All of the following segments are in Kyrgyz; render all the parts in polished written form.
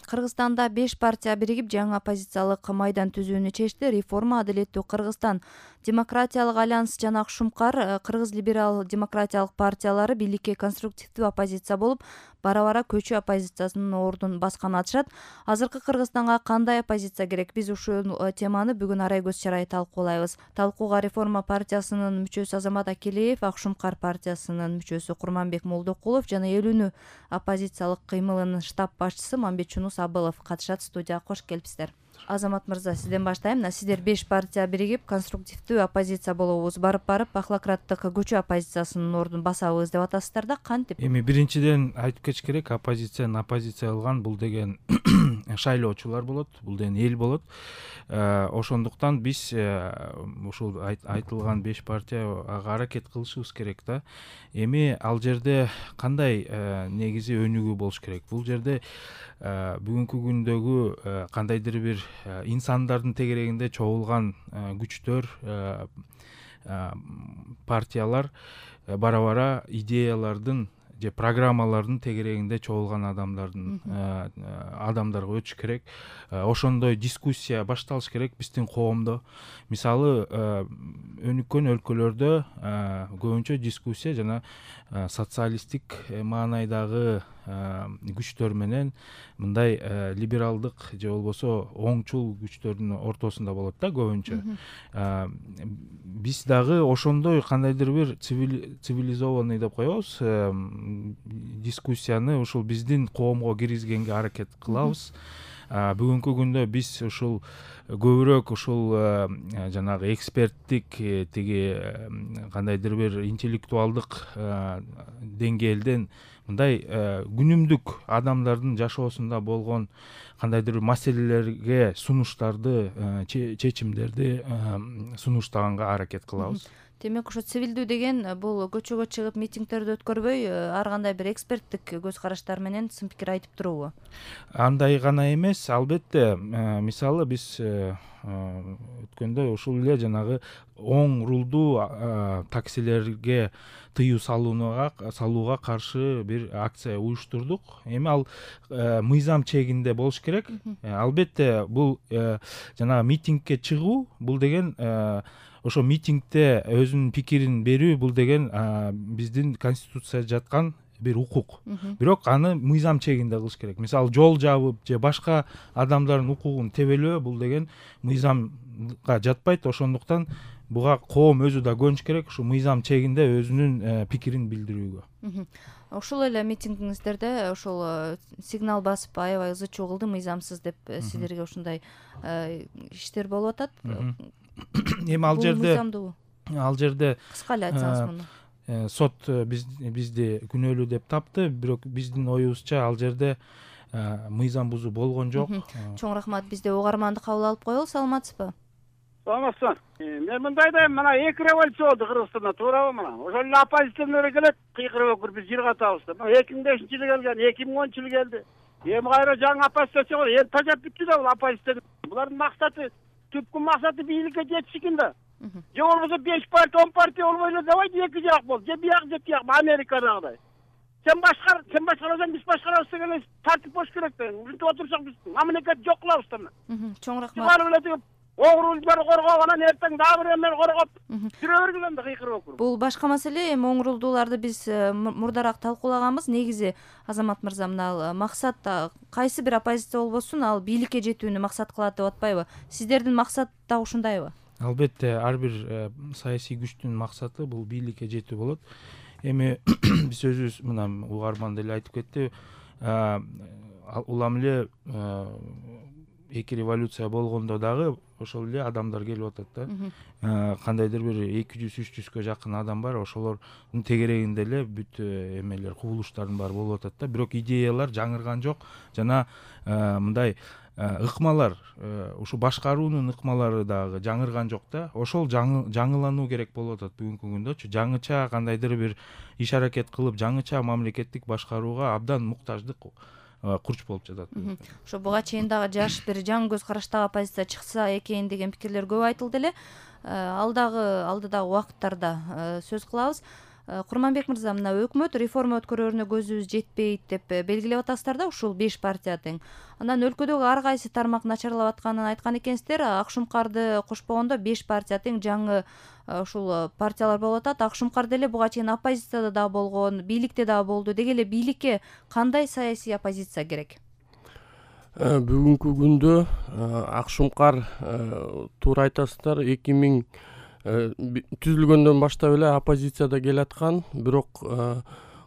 Кыргызстанда 5 партия биригип жаңы оппозициялык майдан түзүүнү чечти. Реформа, Адилеттүү Кыргызстан, Демократиялык альянс жана Акшумкар Кыргыз либерал демократиялык партиялары бийликке конструктивдүү оппозиция болуп, бара-бара көчү оппозициясынын ордун басканын айтышат. Азыркы Кыргызстанга кандай оппозиция керек? Биз ушул теманы бүгүн Арай көз чарай талкуулайбыз. Талкууга Реформа партиясынын мүчөсү Азамат Акелеев, Акшумкар партиясынын мүчөсү Курманбек Молдокулов жана Элүүнү оппозициялык кыймылынын штаб башчысы Мамбетчунус Абылов катышат. Студияга кош келипсиздер. Азамат мырза, сизден баштайм. Сиздер 5 партия биригип конструктивдүү оппозиция болобуз, барып коклократтык көчү оппозициясынын ордун басабыз деп атасыздар да, кантип? Эми биринчиден айтып кетиш керек, оппозиция кылган бул деген шайлоочулар болот, бул деген эл болот. Ошондуктан биз ушул айтылган 5 партияга аракет кылышыбыз керек да. Эми ал жерде кандай негизи өнүгүү болуш керек? Бул жерде бүгүнкү күндөгү кандайдыр бир инсандардын тегерегинде чогулган күчтөр, партиялар бара-бара идеялардын же программалардын тегерегинде чогулган адамдарга өтүш керек. Ошондой дискуссия башталыш керек биздин коомдо. Мисалы, өнүккөн өлкөлөрдө көбүнчө дискуссия жана социалисттик маанайдагы күчтөр менен мындай либералдык же болбосо оңчул күчтөрдүн ортосунда болот да көбүнчө. Биз дагы ошондой кандайдыр бир цивилизованный деп коебуз, дискуссияны ушул биздин коомго киргизгенге аракет кылабыз. Бүгүнкү күндө биз ушул көбүрөөк ушул жанагы эксперттик тиги кандайдыр бир интеллектуалдык деңгээлден мындай күнүмдүк адамдардын жашоосунда болгон кандайдыр бир маселелерге сунуштарды, чечимдерди сунуштаганга аракет кылабыз. Демек, ошо цивилдүү деген бул көчөгө чыгып митингдерди өткөрбөй, ар кандай бир эксперттик көз караштар менен сын пикир айтып туруубу? Андай гана эмес, албетте. Мисалы, биз өткөндө ушул эле жанагы оң рулдуу таксилерге тыюу салууга каршы бир акция уюштурдук. Эми ал мыйзам чегинде болуш керек. Албетте, бул жанагы митингке чыгуу, бул деген ошо митингде өзүнүн пикирин берүү, бул деген биздин конституцияда жаткан бир укук. Бирок аны мыйзам чегинде кылыш керек. Мисалы, жол жабып же башка адамдардын укугун тебелөө, бул деген мыйзамга жатпайт. Ошондуктан буга коом өзү да көнүш керек, ушу мыйзам чегинде өзүнүн пикирин билдирүүгө. Ошол эле митингиңиздерде ошол сигнал басып аябай ызы чуу кылды, мыйзамсыз деп силерге ушундай иштер болуп атат. Эми ал жерде кыска эле айтсаңыз муну. Сот бизди күнөөлүү деп тапты, бирок биздин оюбузча ал жерде мыйзам бузуу болгон жок. Чоң рахмат. Бизде угарманды кабыл алып коелу. Саламатсызбы? Саламатсызбы. Мен мындай дейм, мына 2 революция болду Кыргызстанда, туурабы мына? Ошол эле оппозиционер келет, кыйкырып өкүр, биз жыр катабыз деп. 2005-жылы келген, 2010-жылы келди. Эми кайра жаңы оппозиция чыгып, эл тажап бүттү да бул оппозиция. Булардын максаты, түпкү максаты бийликке жетиш экен да. Же болбосо 5 партия, 10 партия болбой эле давайте 2 жак бол. Же бияк же тияк, Америкадагыдай. Сен башкарасаң, биз башкарабыз деген тартип болуш керек да. Ушинтип отурсак биз мамлекет жок кылабыз да. Чоң рахмат. Оңрулдар коргоп, анан эртең дагы бир эмер коргоп, жүрө бергилем да кыйкырып өкүр. Бул башка маселе. Эми оңрулдууларды биз мурдараак талкуулаганбыз. Негизи Азамат мырза, мына максат кайсы бир оппозиция болбосун, ал бийликке жетүүнү максат кылат деп атпайбы? Сиздердин максат да ушундайбы? Албетте, ар бир саясий күчтүн максаты бул бийликке жетүү болот. Эми биз өзүбүз мына угарман деле айтып кетти. Улам эле 2 революция болгондо дагы ошол эле адамдар келип атат да. Кандайдыр бир 200-300гө жакын адам бар. Ошолордун тегерегинде эле бүт эмелер, кубулуштардын баары болуп атат да. Бирок идеялар жаңырган жок. Жана мындай ыкмалар, ушу башкаруунун ыкмалары дагы жаңырган жок да. Ошол жаңылануу керек болуп атат бүгүнкү күндөчү. Жаңыча кандайдыр бир иш аракет кылып, жаңыча мамлекеттик башкарууга абдан муктаждык курч болуп жатат. Ошо буга чейин дагы жаш бир жаңы көз караштагы оппозиция чыкса экен деген пикирлер көп айтылды эле. Алдыдагы убакыттарда сөз кылабыз. Курманбек мырза, мына өкмөт реформа өткөрүүнө көзүбүз жетпейт деп белгилеп атасыздар да, ушул 5 партия тең. Анан өлкөдөгү ар кайсы тармак начарлап атканын айткан экенсиздер. Акшумкарды кошпогондо 5 партия тең жаңы ушул партиялар болуп атат. Акшумкар деле буга чейин оппозицияда да болгон, бийликте да болду. Деги эле бийликке кандай саясий оппозиция керек? Бүгүнкү күндө Акшумкар туура айтасыздар, 2000 түзүлгөндөн баштап эле оппозицияда келаткан, бирок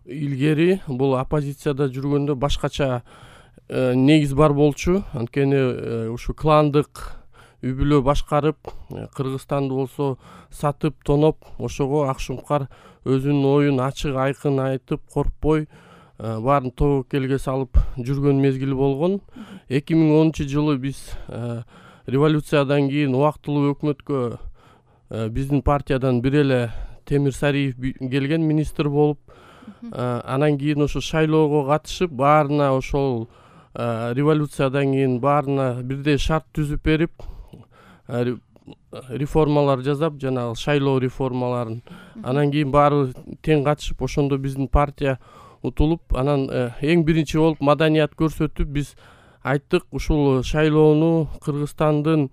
илгери бул оппозицияда жүргөндө башкача негиз бар болчу. Анткени ушу кландык үй бүлө башкарып, Кыргызстанды болсо сатып, тоноп, ошого Акшумкар өзүнүн оюн ачык айкын айтып, коркпой баарын тобокелге салып жүргөн мезгили болгон. 2010-жылы биз революциядан кийин убактылуу өкмөткө биздин партиядан бир эле Темир Сариев келген министр болуп, анан кийин ошо шайлоого катышып, баарына ошол революциядан кийин баарына бирдей шарт түзүп берип, реформалар жасап, жанагы шайлоо реформаларын. Анан кийин баары тең катышып, ошондо биздин партия утулуп, анан эң биринчи болуп маданият көрсөтүп, биз айттык, ушул шайлоону Кыргызстандын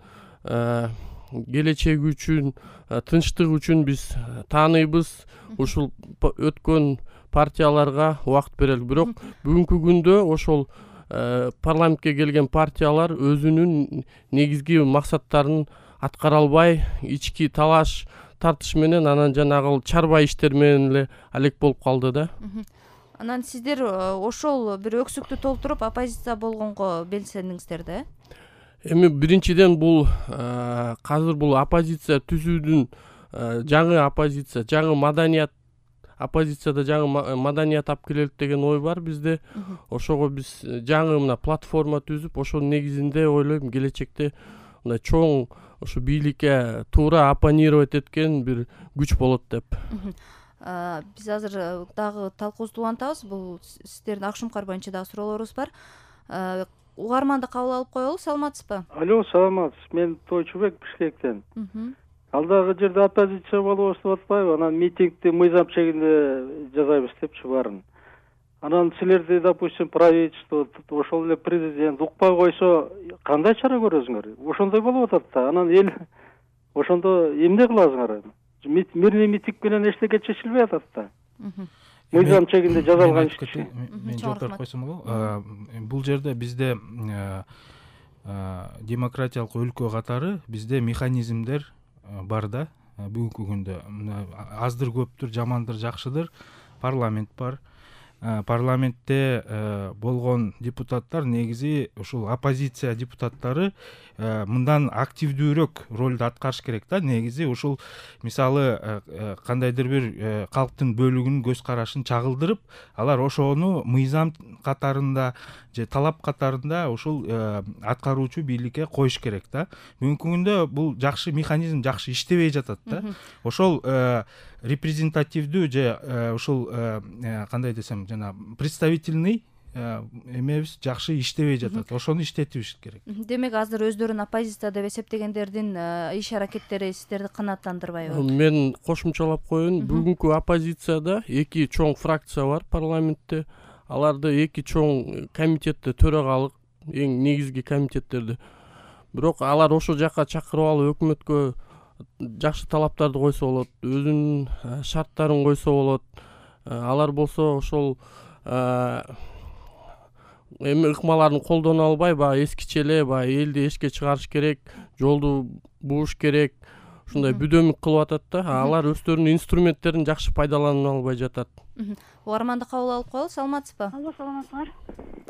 келечеги үчүн, тынчтык үчүн биз тааныйбыз. Ушул өткөн партияларга убакыт берели. Бирок бүгүнкү күндө ошол парламентке келген партиялар өзүнүн негизги максаттарын аткара албай, ички талаш тартыш менен, анан жанагы чарба иштер менен эле алек болуп калды да. Анан сиздер ошол бир өксүктү толтуруп оппозиция болгонго белсендиңиздер да? Эми биринчиден бул азыр бул оппозиция түзүүдүн жаңы оппозиция, жаңы маданият, оппозицияда жаңы маданият алып келелик деген ой бар бизде. Ошого биз жаңы мына платформа түзүп, ошонун негизинде ойлойм келечекте мындай чоң ушу бийликке туура оппонировать эткен бир күч болот деп. Биз азыр дагы талкуубузду улантабыз. Бул сиздердин Акшумкар боюнча дагы суроолорубуз бар. Угарманды кабыл алып коелу. Саламатсызбы? Алло, саламатсыз. Мен Тойчубек, Бишкектен. Алдагы жерде оппозиция болобуз деп атпайбы? Анан митингди мыйзам чегинде жасайбыз депчи баарын. Анан силерди, допустим, правительство, ошол эле президент укпай койсо кандай чара көрөсүңөр? Ошондой болуп атат да. Анан эл ошондо эмне кыласыңар? Мирный митинг менен эчтеке чечилбей атат да. Мыйзам чегинде жасалган иш. Мен жооп берип койсом болобу? Бул жерде бизде демократиялык өлкө катары бизде механизмдер бар да. Бүгүнкү күндө аздыр көптүр, жамандыр жакшыдыр парламент бар. Парламентте болгон депутаттар негизи ушул оппозиция депутаттары мындан активдүүрөөк ролду аткарыш керек да. Негизи ушул мисалы кандайдыр бир калктын бөлүгүнүн көз карашын чагылдырып, алар ошону мыйзам катарында же талап катарында ушул аткаруучу бийликке коюш керек да. Бүгүнкү күндө бул жакшы механизм жакшы иштебей жатат да. Ошол репрезентативдүү же ушул кандай десем, жана представительный эмебиз жакшы иштебей жатат. Ошону иштетибиз керек. Демек азыр өздөрүн оппозиция деп эсептегендердин иш аракеттери сиздерди канааттандырбайбы? Мен кошумчалап коеюн. Бүгүнкү оппозицияда 2 чоң фракция бар парламентте. Аларды 2 чоң комитетте төрагалык, эң негизги комитеттерди. Бирок алар ошол жака чакырып алып өкмөткө жакшы талаптарды койсо болот, өзүнүн шарттарын койсо болот. Алар болсо ошол эми ыкмаларын колдоно албай, баягы эскиче эле, баягы элди эшикке чыгарыш керек, жолду бууш керек, ушундай бүдөмүк кылып атат да. Алар өздөрүнүн инструменттерин жакшы пайдалана албай жатат. Угарманды кабыл алып коелу. Саламатсызбы? Алло, саламатсыңар.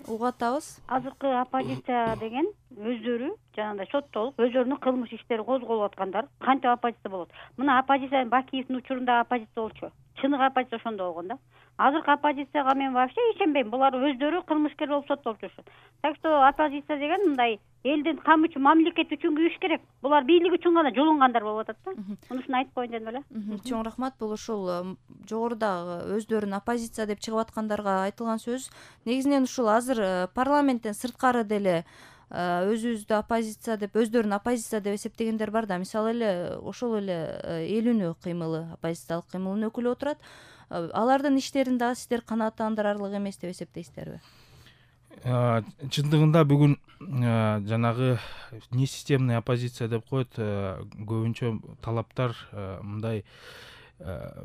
Угуп атабыз. Азыркы оппозиция деген өздөрү жанагындай соттолуп, өздөрүнүн кылмыш иштери козголуп аткандар кантип оппозиция болот? Мына оппозиция Бакиевдин учурунда оппозиция болчу. Чыныгы оппозиция ошондо болгон да. Азыркы оппозицияга мен вообще ишенбейм. Булар өздөрү кылмышкер болуп соттолуп жүрүшөт. Так что оппозиция деген мындай элдин камы үчүн, мамлекет үчүн күрөш керек. Булар бийлик үчүн гана жолунгандар болуп атат да. Мунусун айтып коеюн дедим эле. Чоң рахмат. Бул ушул жогорудагы өздөрүн оппозиция деп чыгып аткандарга айтылган сөз. Негизинен ушул азыр парламенттен сырткары деле өзүбүздү оппозиция деп, өздөрүн оппозиция деп эсептегендер бар да. Мисалы эле ошол эле эл үнү кыймылы, оппозициялык кыймылдын өкүлү отурат. Алардын иштерин дагы сиздер канааттандырарлык эмес деп эсептейсиздерби? Чындыгында бүгүн жанагы несистемный оппозиция деп коет, көбүнчө талаптар мындай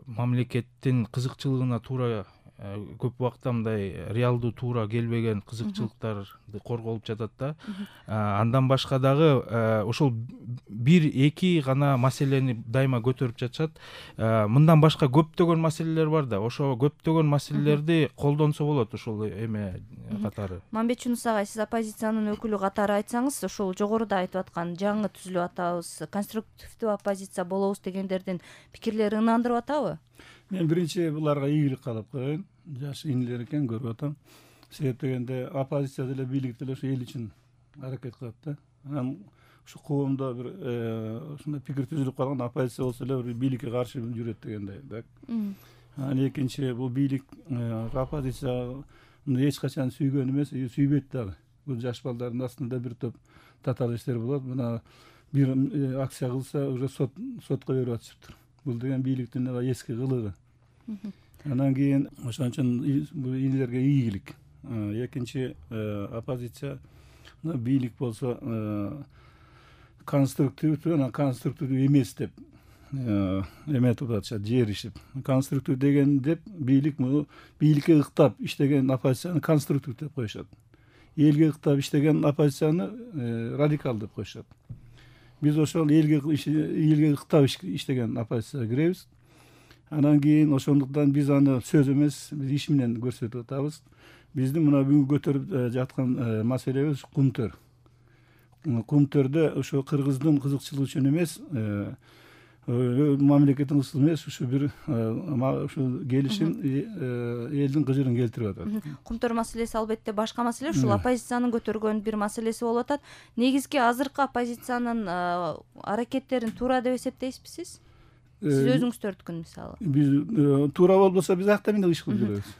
мамлекеттин кызыкчылыгына туура, көп убакта мындай реалдуу туура келбеген кызыкчылыктарды корголуп жатат да. Андан башка дагы ошол бир эки гана маселени дайыма көтөрүп жатышат. Мындан башка көптөгөн маселелер бар да. Ошо көптөгөн маселелерди колдонсо болот ошол эме катары. Мамбет Жунус агай, сиз оппозициянын өкүлү катары айтсаңыз, ошол жогоруда айтып аткан жаңы түзүлүп атабыз, конструктивдүү оппозиция болобуз дегендердин пикирлери ынандырып атабы? Мен биринчи буларга ийгилик каалап коеюн. Жаш инилер экен, көрүп атам. Себеп дегенде оппозиция деле бийлик деле ошо эл үчүн аракет кылат да. Анан ушу коомдо бир ушундай пикир түзүлүп калган, оппозиция болсо эле бир бийликке каршы жүрөт дегендей, так. Анан экинчи, бул бийлик оппозицияны эч качан сүйгөн эмес, сүйбөйт дагы. Бул жаш балдардын астында бир топ татаалиштер болот. Мына бир акция кылса, уже сотко берип атышыптыр. Бул деген бийликтин эски кылыгы. Андан кийин ошон үчүн бул инилерге ийгилик. Экинчи, оппозиция бийлик болсо конструктивдүү, анан конструктивдүү эмес деп эметип атышат, жеришип. Конструктив деген деп бийлик муну бийликке ыктап иштеген оппозицияны конструктив деп коюшат. Элге ыктап иштеген оппозицияны радикал деп коюшат. Биз ошол элге ыктап иштеген оппозицияга киребиз. Анан кийин ошондуктан биз аны сөз эмес, биз иш менен көрсөтүп атабыз. Биздин мына бүгүн көтөрүп жаткан маселебиз кумтөр. Кумтөрдө ошо кыргыздын кызыкчылыгы үчүн эмес, мамлекеттин ысыл эмес, ушу бир ушу келишим элдин кыжырын келтирип атат. Кумтөр маселеси албетте башка маселе, ушул оппозициянын көтөргөн бир маселеси болуп атат. Негизги азыркы оппозициянын аракеттерин туура деп эсептейсизби сиз? Сиз өзүңүз төрткүн мисалы. Биз туура болбосо биз акта менен иш кылып жүрөбүз.